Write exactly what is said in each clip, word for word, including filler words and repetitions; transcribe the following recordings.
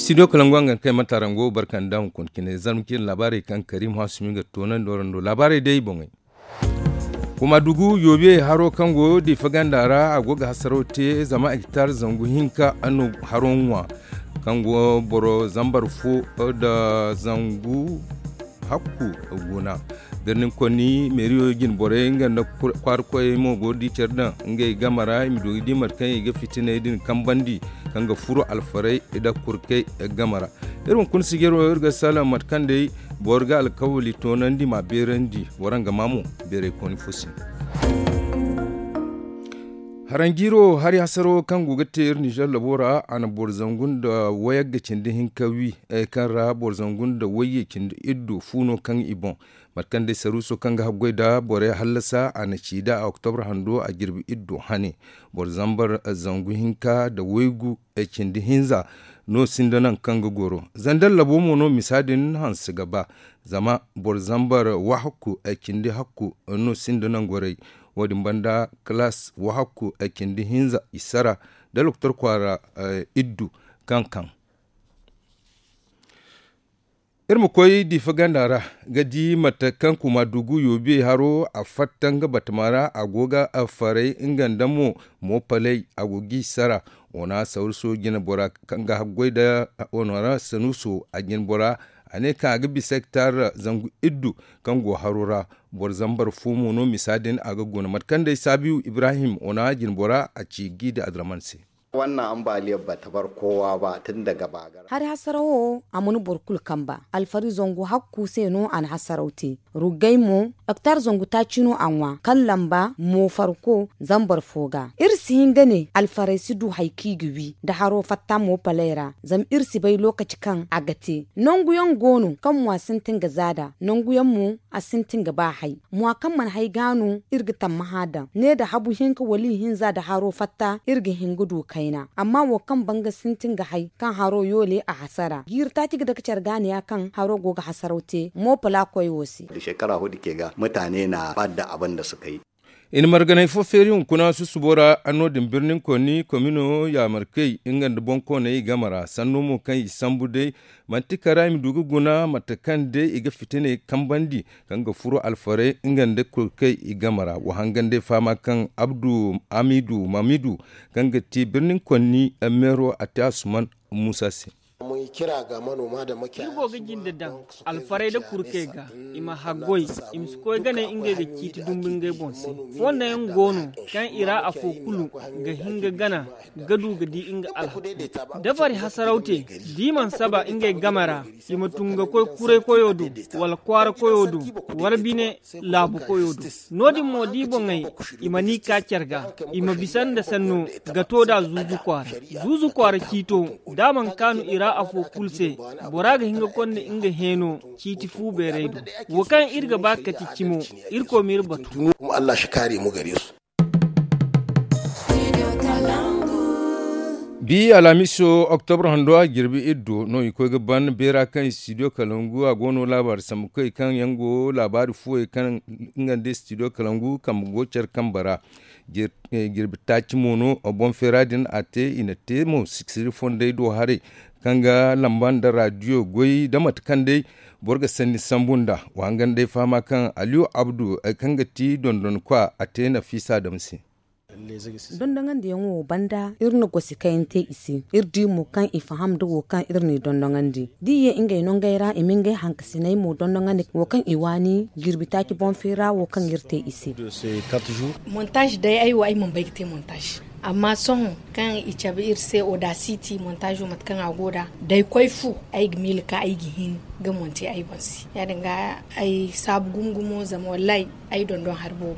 Studio kalangu a ga kay matarango barka nda hunkuna cine zarma cine laabaarey kaŋ karim hasumi ga toonandi warando laabaarey day boŋey. Kuma dugu yoobiye haro kaŋ go diifa ganda ra a go ga hasaraw te zama hektar zangu hinka no haro ŋwa kaŋ go boro zambar fo nda zangu hakku guna. Birnin konni meeriyo jine borey nga nda kwaara koyey mo go ga di care daŋ ngey game ra i ma du ga di mate kaŋ i ga fitiney din kambandi kaŋ ga furo alfarey nda kurkey game ra. Iri hunkuna sijiro iri ga salaŋ mate kaŋ day boro ga alkawali toonandi ma a beerandi. Waraŋ ga maa mo beeray kooni fo se. Haranjiiro hari hasaro kaŋ go ga te iri nizer labo ra a na boro zangu nda wayagga cindi hinka wi kaŋ ra boro zangu nda wayye cindi iddu fu no kaŋ i boŋ. Mate kaŋ day saruuso kaŋ ga haggoy nda borey hallasa a na ci da a oktobre hando a jirbi iddu hane. Boro zambar zangu hinka nda waygu cindi hinza no sinda nangu kaŋ ga goro. Zander labo mo no misa din hanse ga ba zama boro zambar wahakku cindi hakku no sinda nangu goray. Wo- din banda kalaas wahakku cindi hinza i sara nda loktor kwaara iddu kaŋ kaŋ. Iri ma koy diifa ganda ra ga di mate kaŋ kuma dugu yoobiye haro a fatta nga batama ra a go ga faray nga nda mo moopaley a go g'i sara. Wana sawru so jine bora kaŋ ga haggoy nda wana ra sanuuso a jine bora a ne kaŋ a ga bisa hektar zangu iddu kaŋ go haro ra. Boro zambar fo mo no misa din a ga guna mate kaŋ day saabiyu ibrahim wana jine bora a ci g'i da adraman se. Hari hasaraw wo a mana boro kulu kamba alfari zangu hakku se no a na hasaraw te. Ruggay mo hektar zangu taaci no a ŋwa kaŋ lamba mo farko zambar fo ga iri si hin ga ne alfaray si du hari kaŋ i ga wi nda haro fatta mo palay ra. Zama iri si bay lokaci kaŋ a ga te nangu yaŋ go no kaŋ mo a sintin ga zaada nangu yaŋ mo a sintin ga ba hay. Mwa kaŋ mana hay ga no iri ga tammaha daŋ ne nda habu hinka wala ihinza nda haro fatta iri ga hin ga du kayna amma wo kaŋ banga sintin ga hay kaŋ haro yoole a hasara jiiri taaci ga dake care ga ne ya kaŋ haro go ga hasaraw te mo pala koy wo se. I na marganay fo feeri hunkuna susubo ra anno din birnin konni komino yaamarkey nga nda boŋkooney i game ra sanno mo kaŋ i sambu day manti kara i ma du ga guna mate kaŋ day i ga fitiney kambandi kaŋ ga furo alfaray nga nda kurkey i game ra wa hangan day fahama kaŋ abdu hamidu mamidu kaŋ ga ti birnin konni meero a te asuman muusa se. Iri go ga jinde daŋ alfaray nda kurkey ga i ma haggoy i ma si koy gane ngey ga ciiti dumbu ngey boŋ se. Fonda yaŋ go no kaŋ i ra afo kulu ga hin ga gana ga du ga di nga alhakku. Dabari hasaraw te da i mana saba ngey game ra i ma tun ga koy kuray koyo do wala kwaara koyo do wala bine laabu koyo do. No- din mo da i boŋey i mana i ka care ga i ma bisa nda sanno ga to nd'a zuuzu kwaara. Zuuzu kwaara ciito da a mana kaanu i ra afo kulu se bora ga hin ga konda nga heeno ciiti fu beeray do. Wo kaŋ iri ga ba kati cimo irkoy ma iri batu. Bi alhamiso oktobre hando a jirbi iri do no i koy ga ban beera kaŋ studio kalangu a go no laabaari sambu kay kaŋ yaŋ go laabaari fuwey kaŋ nga nda studio kalangu kambe go care kambe ra. Jirbi taaci mo no boŋ feera din a te i na te mo siksiri fondey do haray kaŋ ga lamba nda raadiyo goy da mate kaŋ day boro ga sanni sambu nd'a. Wa hangan day fahama kaŋ aliyu abdu kaŋ ga ti dondonkwa a te nafiisa dam se. Dondoŋandiyaŋo wo banda iri na gosi kayaŋ te i se. Iri di mo kaŋ i faham nda wo kaŋ iri n'i dondoŋandi da i ye ngey nongey ra i ma ngey hankasiney mo dondoŋandi wo kaŋ i waani jirbi taaci boŋ feera wo kaŋ iri te i se. Montaaz day ay wo ay mana bay ga te montaaz. Amma sohõ kaŋ i cabe iri se odasiti montaazo mate kaŋ a go nd'a da ay koy fu ay ga miila ka ay ga hin ga monte ay boŋ se. Ya- din ga ay saabu gumo gumo zama wallahi ay dondon hari boobo.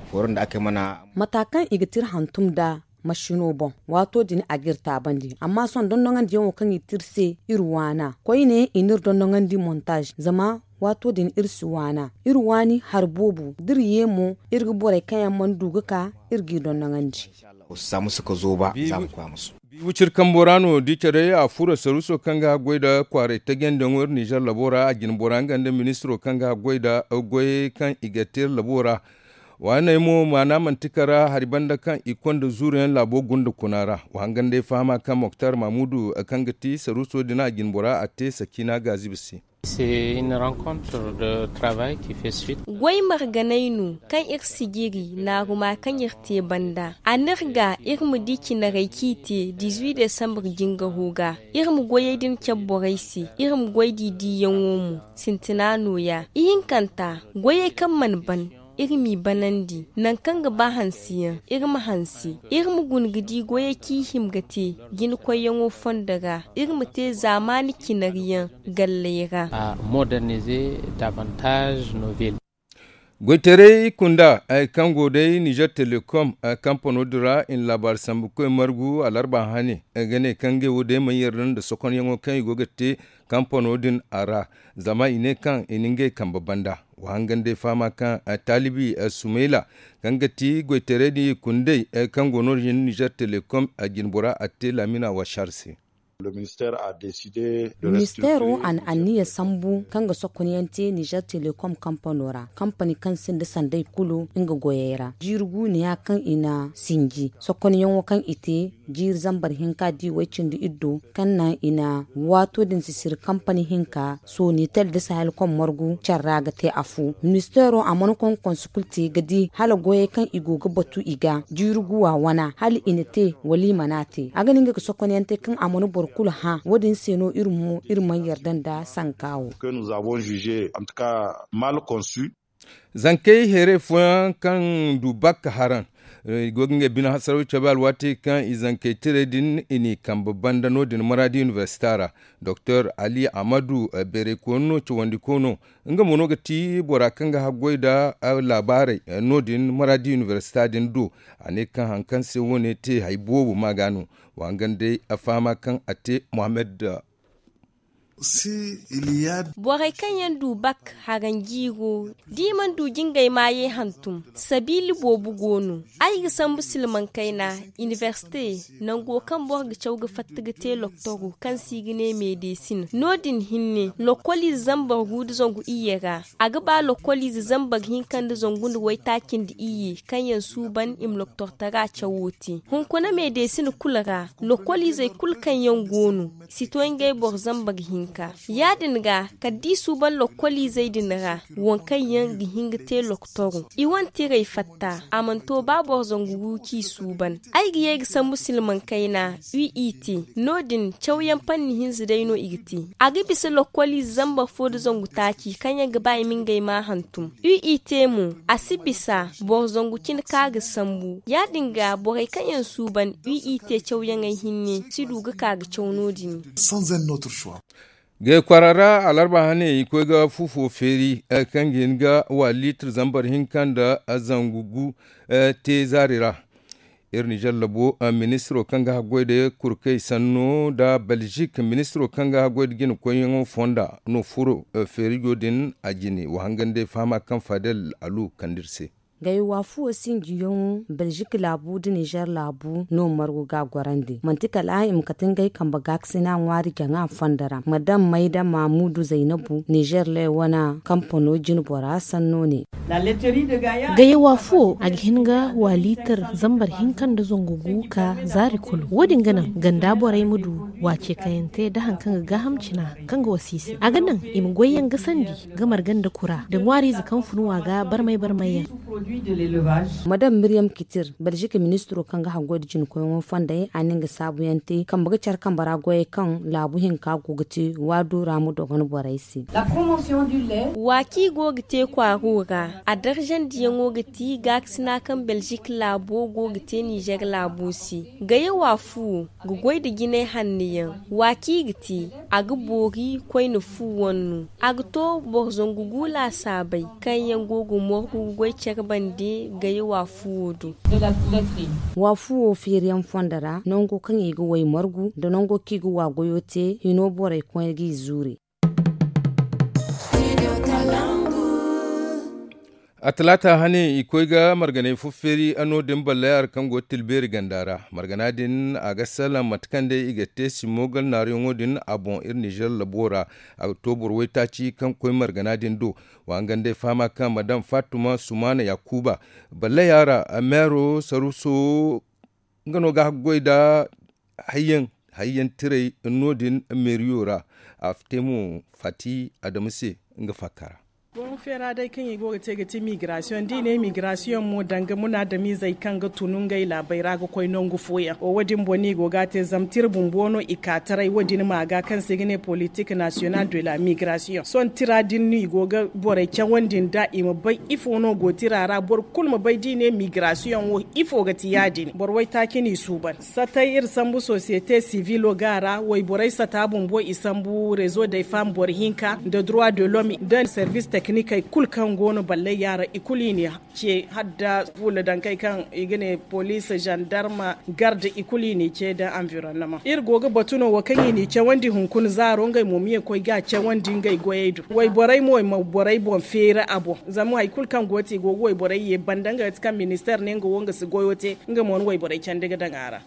Mata kaŋ i ga te iri hantum nd'a masino boŋ waato din a ga iri taabandi amma sohõ dondoŋandiyaŋo kaŋ i te iri se iri waana koyne i na iri dondoŋandi montaaz zama waato din iri si waana iri waani hari boobo da iri ye mo iri ga borey kaŋ yaŋ mana du ga ka iri g'i dondoŋandi. Bi wiciri kambo ra no da i care a furo saruuso kaŋ ga haggoy nda kwaaray tajandiyaŋo iri nizer labo ra a jine bora nga nda ministiro kaŋ ga haggoy nda goyey kaŋ i ga te iri labo ra. Waaney mo maana manti kara hari banda kaŋ i konda zuuru yaŋ laabo gunda kuna ra. Wa hangan day fahama kaŋ moktar mamudu kaŋ ga ti saruuso din a jinbora a te sakiina gaazibi se. Goy marganay no kaŋ iri sijiri naaruma kaŋ iri te banda a n'iri ga iri ma di cinarey kaŋ i te dizuwi desambar jingaro ga. Iri ma goyey din cabe borey se iri ma goy di diiyaŋo mo. Sintina nooya ihinkanta goyey kaŋ mana ban iri m'i banandi nangu kaŋ ga ba hanse yaŋ iri ma hanse. Iri ma guna ga di goyey kaŋ i hima ga te jinakoyyaŋo fondo ra iri ma te zaamaani cinari yaŋ galley ra. Goytaray kunda kaŋ go day nizer telekom kampano din ra i na laabaari sambukoy margu alarba hane ga ne kaŋ ngey wo day mana yarda nda sokonyaŋo kaŋ i go ga te kampano din a ra. Zama i ne kaŋ i na ngey kambe banda wa hangan day fahama kaŋ taalibi sumayla kaŋ ga ti goytaray din i kundey kaŋ go no- din nizer telekom jinbora a te laamina washar se. Ministeero a na anniya sambu kaŋ ga sokonyaŋ te nizer telekom kampano ra kampani kaŋ sinda sanday kulu nga goyey ra jiiri guuneya kaŋ i na sinji sokonyaŋo kaŋ i te jiiri zambar hinka di way cindi iddo kaŋ naŋ i na waato din sisiri kampani hinka sonitel da sahel kom margu care ra ga te afo. Ministeero a mana konkonsu kulu te ga di hala goyey kaŋ i go ga batu i ga jiiri guwa wana hala i na te wala i mana te a ga ne nga ga sokonyaŋ te kaŋ a mana boro kulu hã wo- din se no iri mo iri mana yarda nda sanka wo. Zankey heeray fooyaŋ kaŋ du bakka haraŋ i go ga ngey bine hasaraw cabe alwaati kaŋ i zankey tirey din i n'i kambe banda no- din maraadi inibersita ra. Doktor ali amadu beeraykooni no cawandiko no nga mo no ga ti bora kaŋ ga haggoy nda laabaarey no- din maraadi inibersita din do. A ne kaŋ hari kaŋ se wo- ne te hari boobo ma ga no wa hangan day a fahama kaŋ a te mohammed. Borey kaŋ yaŋ du bak haranjiiro da i mana du jingay maayey hantum sabiila boobo go no. Ay ga sambu silmaŋ kayna inibersite nango kaŋ boro ga caw ga fatta ga te loktoro kaŋ se i ga ne meedesin no- din hinne lokkoliize zambar gu nda zangu iyye ra. A ga ba lokkoliize zambar hinka nda zangu nda waytaaci nda iyye kaŋ yaŋ suuban i ma loktortara cawo te hunkuna meedesin kulu ra. Lokkoliizey kulu kaŋ yaŋ go no si to ngey boro zambar hinka. Ya- din ga kala da i suuban lokkoliizey din ra waŋ kaŋ yaŋ ga hin ga te loktoro i wane tirey fatta a mana to ba boro zangu gu kaŋ i suuban. Ay ga ye ga sambu silmaŋ kayna u i te no- din cawyaŋ panni hinza day no i ga te. A ga bisa lokkoliize zambar fo nda zangu taaci kaŋ yaŋ ga ba i ma ngey ma hantum u i te mo. A si bisa boro zangu cine kaŋ a ga sambu ya- din ga borey kaŋ yaŋ suuban u i te cawyaŋey hinne si du ga ka ga caw no- din. Gay kwaara ra alarba hane i koy ga fu fo feeri kaŋ ga hin ga wa liitir zambar hinka nda zangu gu te zaari ra. Iri nizer labo ministiro kaŋ ga haggoy nda kurkey sanno nda belzik ministiro kaŋ ga haggoy nda jinakoyyaŋo fonda no furo feerijo din a jine wa hangan day fahama kaŋ fadel alu kande iri se. Gay waafuwo sinjiyaŋo belzik laabu nda nizer laabu no margu ga a gorandi manti kala i ma kate ngey kambe gaakasina ŋwaari jaŋa fondo ra madam mayda mamudu zaynabu nizer lay wane kampano jinbora sanno ne. Gaye waafuwo a ga hin ga waaliitar zambar hinka nda zangu gu ka zaari kulu wo- din ga naŋ ganda borey ma du waace kayante nda hari kaŋ ga gaaham cina kaŋ ga wasiisi a ga naŋ i ma goyyaŋ gasandi ga marga nda kura nda ŋwaariize kaŋ fun wa ga barmay barmay yaŋ. Madam miryam kitir belzik ministiro kaŋ ga haggoy nda jinkoyyaŋo fonday a na nga saabuyaŋ te kambe ga care kambe ra goyey kaŋ laabu hinka go ga te waadu ra ma dogon borey se. Wa kaŋ i go ga te kwaaro ra a darjandiyaŋo ga ti gaakasina kaŋ belzik laabo go ga te nizer laabo se. Gaye waafuwo ga goy nda jinay hanno yaŋ. Wa kaŋ i ga te a ga boori koyne fu wanno a ga to boro zangu gu laasaabey kaŋ yaŋ go ga morgu ga goy care bande gaye waafuwo do. Waafuwo feeriyaŋ fondo ra nango kaŋ i ga way margu nda nango kaŋ i ga wa goyo te hino borey koyne ga i zuure. A talaata hane i koy ga marganay fo feeri no- din ballay ara kaŋ go ga tilbeeri ganda ra. Margana din a ga salaŋ mate kaŋ day i ga te simmo gal naaruyaŋo din a boŋ iri nizer labo ra. A ga to boro waytaaci kaŋ koy margana din do. Wa hangan day fahama kaŋ madam fatuma sumaana yakuba ballay a ra meero saruso nga no ga haggoy nda hayyaŋ tiray no- din meeriyo ra. A fite mo fati adama se nga fakka ra. Boŋ feera day kaŋ i go ga te ga ti migirasiyoŋ da i ne migirasiyoŋ mo danga munaadamizey kaŋ ga tun ngey laabey ra ga koy nangu fooyaŋ wo- din boŋ no i go ga a te zama tira bumbo no i ka taray wo- din ma ga kaŋ se i ga ne politik nasiyonal de la migirasiyoŋ sohõ tira din no i go ga borey cawandi nda i ma bay ifo no go tira ra boro kulu ma bay da i ne migirasiyoŋ wo ifo ga ti ya- din boro waytaaci no i suuban satay iri sambu sosiyete sivilo ga a ra wayborey sata bumbo i sambu rezo day fam boro hinka nda droit de l'homme nda servis teknikey kulu kaŋ go no ballay ya ra i kulu i ne ce hala nda fuula dankey kaŋ i ga ne poliis zandarma garde i kulu i n'i ce nda anvironnement iri go ga batu no wo kaŋ i n'i cawandi hunkuna zaaro ngey mo ma ye koy ga a cawandi ngey goyey do wayborey mo i ma borey boŋ feeri a boŋ zama hari kulu kaŋ go ti i go ga wayborey ye banda nga ga ti kaŋ ministeer ne nga wo nga si goyo te nga mo ni wayborey candi ga daŋ a ra.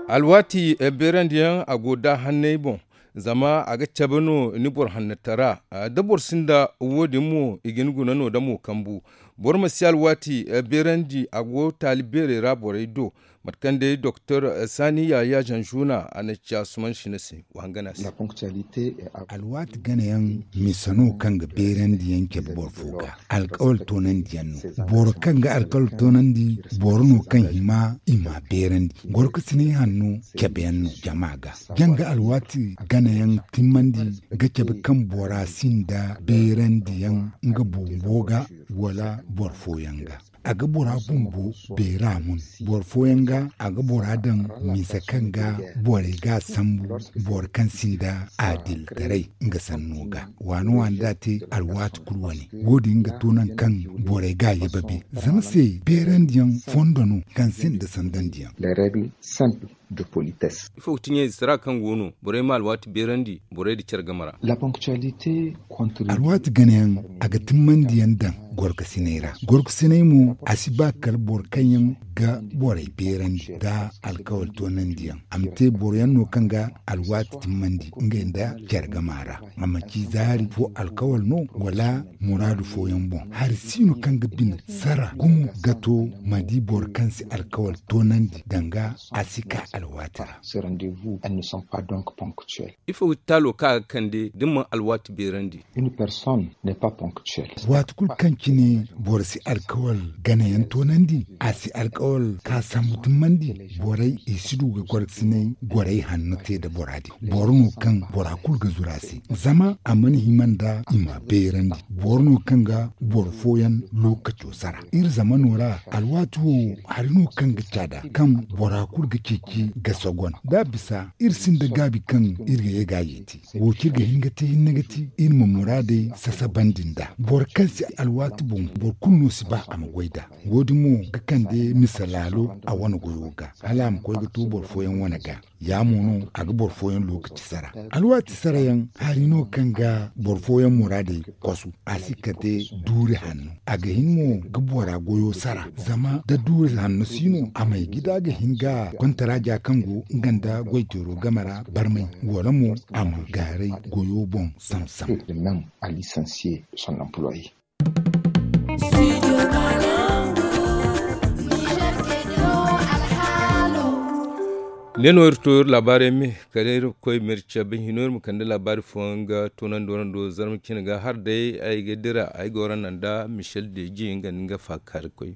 Alwaati beerandiyaŋ a go da hanney boŋ zama a ga cabe no ni boro hannatara da boro sinda wo- din mo i ga ni guna no da mo kambu. Boro ma si alwaati beerandi a go taali beerey ra borey do. Mate kaŋ day doktor sani yaya zanzuna a na ci asuman sina se. Wa hangana se. Alwaati ganayaŋ mise no kaŋ ga beerandiyaŋ cabe boro fo ga alkawal toonandiyaŋ no. Boro kaŋ ga alkawal toonandi boro no kaŋ hima i ma beerandi. Gorkasinay hanno cabeyaŋ no jama ga janga alwaati ganayaŋ timmandi ga cabe kaŋ bora sinda beerandiyaŋ nga bumbo ga wala boro fooyaŋ ga. A ga bora bumbo beera mun boro fooyaŋ ga a ga bora daŋ mise kaŋ ga borey ga a sambu boro kaŋ sinda adiltaray nga sanno ga waani waani da a te alwaati kulu wane. Wo- din ga to naŋ kaŋ borey ga a yababe zama se beerandiyaŋ fondo no kaŋ sinda sandandiyaŋ. Ifo ga ti ɲayze sara kaŋ go no borey ma alwaati beerandi borey nda care game ra. Alwaati ganayaŋ a ga timmandiyaŋ daŋ gorkasinay ra. Gorkasinay mo a si ba kala boro kaŋ yaŋ ga borey beerandi nda alkawal toonandiyaŋ a ma te boro yaŋ no kaŋ ga alwaati timmandi ngey nda care game ra. A ma ci zaari fo alkawal no wala muraadu fooyaŋ boŋ hari si no kaŋ ga bine sara gumo ga to ma di boro kaŋ si alkawal toonandi danga a si ka alwaati ra. Ifo ga ti taalo kaŋ a ga kande da ni mana alwaati beerandi? Waati kulu kaŋ cine boro si alkawal ganayaŋ toonandi a si alkawal ka sambu timmandi. Borey i si du ga gorkasinay gorey hanno te nda bora din boro no kaŋ bora kulu ga zuru a se zama a mana hima nda i ma beerandi. Boro no kaŋ ga boro fooyaŋ lookaco sara iri zamano ra alwaati wo hari no kaŋ ga caada kaŋ bora kulu ga ceeci ga sogon da a bisa iri sinda gaabi kaŋ iri ga ye ga a yeeti. Wo kaŋ iri ga hin ga te hinne ga ti iri ma muraadey sasabandi nd'a boro kaŋ si alwaati boŋ boro kulu no si ba a ma goy nd'a. Wo- din mo ga kande mise laalo a wane goyo ga hala a ma koy ga to boro fooyaŋ wane ga. Ya mo no a ga boro fooyaŋ lookaci sara. Alwaati sarayaŋ hari no kaŋ ga boro fooyaŋ muraadey kosu a si kate duuri hanno a ga hin mo ga bora goyo sara zama da duuri hanno si no a may gida ga hin ga kontaraaja kaŋ go nga nda goyteero game ra barmay wala mo a ma gaaray goyo boŋ samsam. Ne no iri to iri laabaarey me kala iri koy ma iri cabe hino iri ma kande laabaari fooyaŋ ga toonandi warando zarma cine ga hala day ay ga dira ay ga wara naŋ nda michel deji nga nda nga faakaari koy.